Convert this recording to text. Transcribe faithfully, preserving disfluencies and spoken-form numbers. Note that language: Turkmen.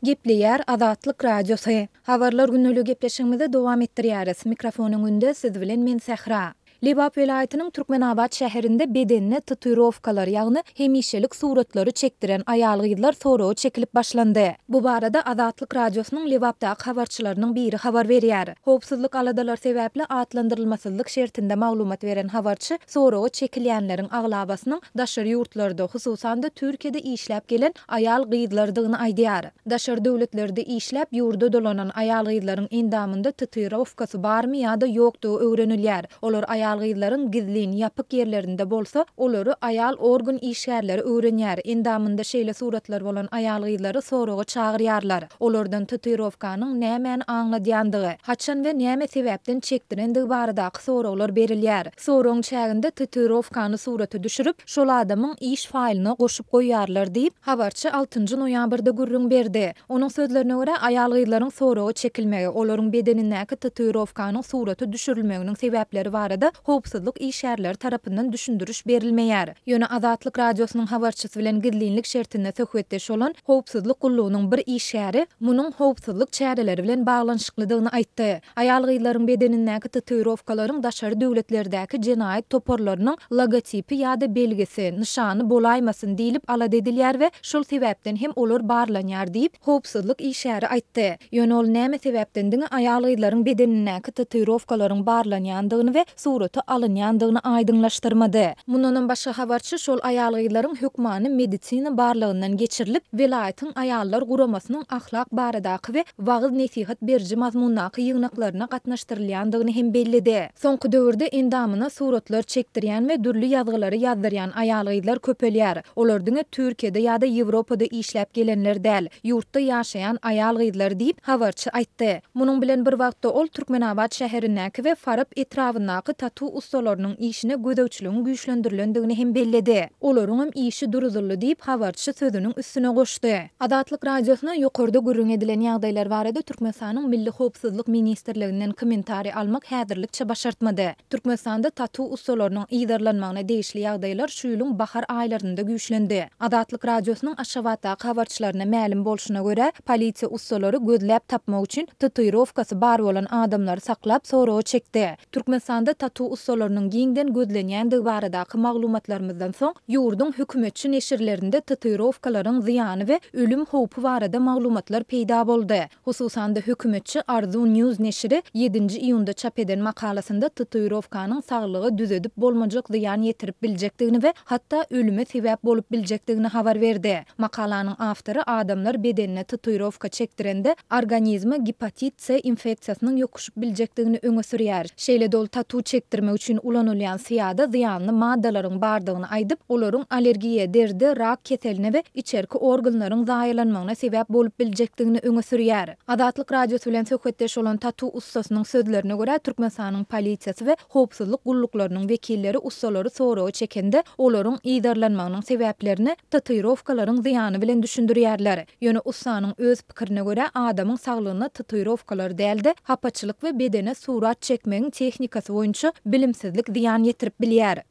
Gepleýär Azatlyk Radiosy. Habarlar gündelik gepleşigimizi dowam etdirýäris. Mikrofon öňünde siz bilen men Sähra. Lebap welaýatynyň Türkmenabat şäherinde bedenine tatuirowkalar, ýagny hemişelik suratlary çekdiren aýal-gyzlar soraga çekilip başlandy. Bu barada Azatlyk Radiosynyň Lebapdaky habarçylarynyň biri habar berýär. Howpsuzlyk aladalary sebäpli atlandyrylmasyzlyk şertinde maglumat beren habarçy soraga çekilýänleriň aglabasynyň daşary ýurtlarda, hususan-da Türkiýede işläp gelen aýal-gyzlardygyny aýdýar. Daşary döwletlerde işläp ýurda dolanan aýal-gyzlaryň endamynda tatuirowkasy barmy ýa-da ýokdugy öwrenilýär. Olar aýal-gyzlaryň gizlin, ýapyk ýerlerinde bolsa, olary aýal organ işgärleri öwrenýär. Endamynda şeýle suratlar bolan aýal-gyzlary soraga çagyrýarlar. Olardan tatuirowkanyň nämäni aňladýandygy, haçan we näme sebäpden çekdirendigi baradaky soraglar berilýär. Soragyň çäginde tatuirowkany surata düşürip, şol adamyň iş faýlyna goşup goýýarlar diýip, habarçy altynjy noýabrda gürrüň berdi. Onuň sözlerine görä, aýal-gyzlaryň soraga çekilmegi, olaryň bedenindäki tatuirowkanyň surata düşürilmeginiň sebäpleri barada howpsuzlyk işgärleri tarapyndan düşündiriş berilmeýär. Ýöne Azatlyk Radiosynyň habarçysy bilen gizlinlik şertinde söhbetdeş bolan howpsuzlyk gullugynyň bir işgäri munuň howpsuzlyk çäreleri bilen baglanyşyklydygyny aýtdy. Aýal-gyzlaryň bedenindäki tatuirowkalaryň daşary döwletlerdäki jenaýat toparlarynyň logotipi ýa-da belgisi, nyşany bolaýmasyn diýlip alada edilýär we şol sebäpden hem olar barlanýar diýip, howpsuzlyk işgäri aýtdy. Ýöne ol näme sebäpden diňe aýal-gyzlaryň bedenindäki tatuirowkalaryň barlanýandygyny we surata alynýandygyny aýdyňlaşdyrmady. Mundanam başga habarçy şol aýal-gyzlaryň hökmany medisina barlagyndan geçirilip, welaýatyň aýallar guramasynyň ahlak baradaky we wagyz-nesihat beriji mazmundaky ýygnaklaryna gatnaşdyrylýandygyny hem belledi. Soňky döwürde endamyna suratlar çekdirýän we dürli ýazgylary ýazdyrýan aýal-gyzlar köpelýär. Olar diňe Türkiýede ýa-da Ýewropada işläp gelenler däl, ýurtda ýaşaýan aýal-gyzlar diýip, habarçy aýtdy. Munuň bilen bir wagtda ol Türkmenabat şäherindäki we Farap etrabyndaky tatu ussalarynyň işine gözegçiligiň güýçlendirilendigini hem belledi. Olaryňam işi duruzyldy diýip, habarçy sözüniň üstüne goşdy. Azatlyk Radiosyna ýokarda gürrüň edilen ýagdaýlar barada Türkmenistanyň Milli howpsuzlyk ministrliginden kommentariý almak häzirlikçe başartmady. Türkmenistanda tatu ussalarynyň yzarlanmagyna degişli ýagdaýlar şu ýylyň bahar aýlarynda güýçlendi. Azatlyk Radiosynyň Aşgabatdaky habarçylaryna mälim bolşuna görä, polisiýa ussalary gözläp tapmak üçin tatuirowkasy bar bolan adamlary saklap soraga çekdi. Türkmenistanda tatu ussalarynyň giňden gözlenýändigi baradaky maglumatlarymyzdan soň, ýurduň hökümetçi neşirlerinde tatuirowkalaryň zyýany we ölüm howpy barada maglumatlar peýda boldy. Hususan-da hökümetçi Arzuw News neşiri ýedinji iýunda çap eden makalasynda tatuirowkanyň saglyga düzedip bolmajak zyýan ýetirip biljekdigini we hatda ölüme sebäp bolup biljekdigini habar berdi. Makalanyň awtory adamlar bedenine tatuirowka çekdirende organizme gepatit C infeksiýasynyň ýokuşyp biljekdigini öňe sürýär. Şeýle-de ol tatu çekdirmek üçin ulanylýan syýada zyýanly maddalaryň bardygyny aýdyp, olaryň allergiýa, deride, rak keseline we içerki organlaryň zaýalanmagyna sebäp bolup biljekdigini öňe sürýär. Azatlyk Radiosy bilen söhbetdeş bolan tatu ussasynyň sözlerine görä, Türkmenistanyň polisiýasy we howpsuzlyk gulluklarynyň wekilleri ussalary soraga çekende, olaryň yzarlanmagynyň sebäplerini tatuirowkalaryň zyýany bilen düşündirýärler. Ýöne ussanyň öz pikirine görä, adamyň saglygyna tatuirowkalar däl-de, hapaçylyk we bedene surat çekmegiň tehnikasy boýunça bilimsizlik zyýan ýetirip bilýär.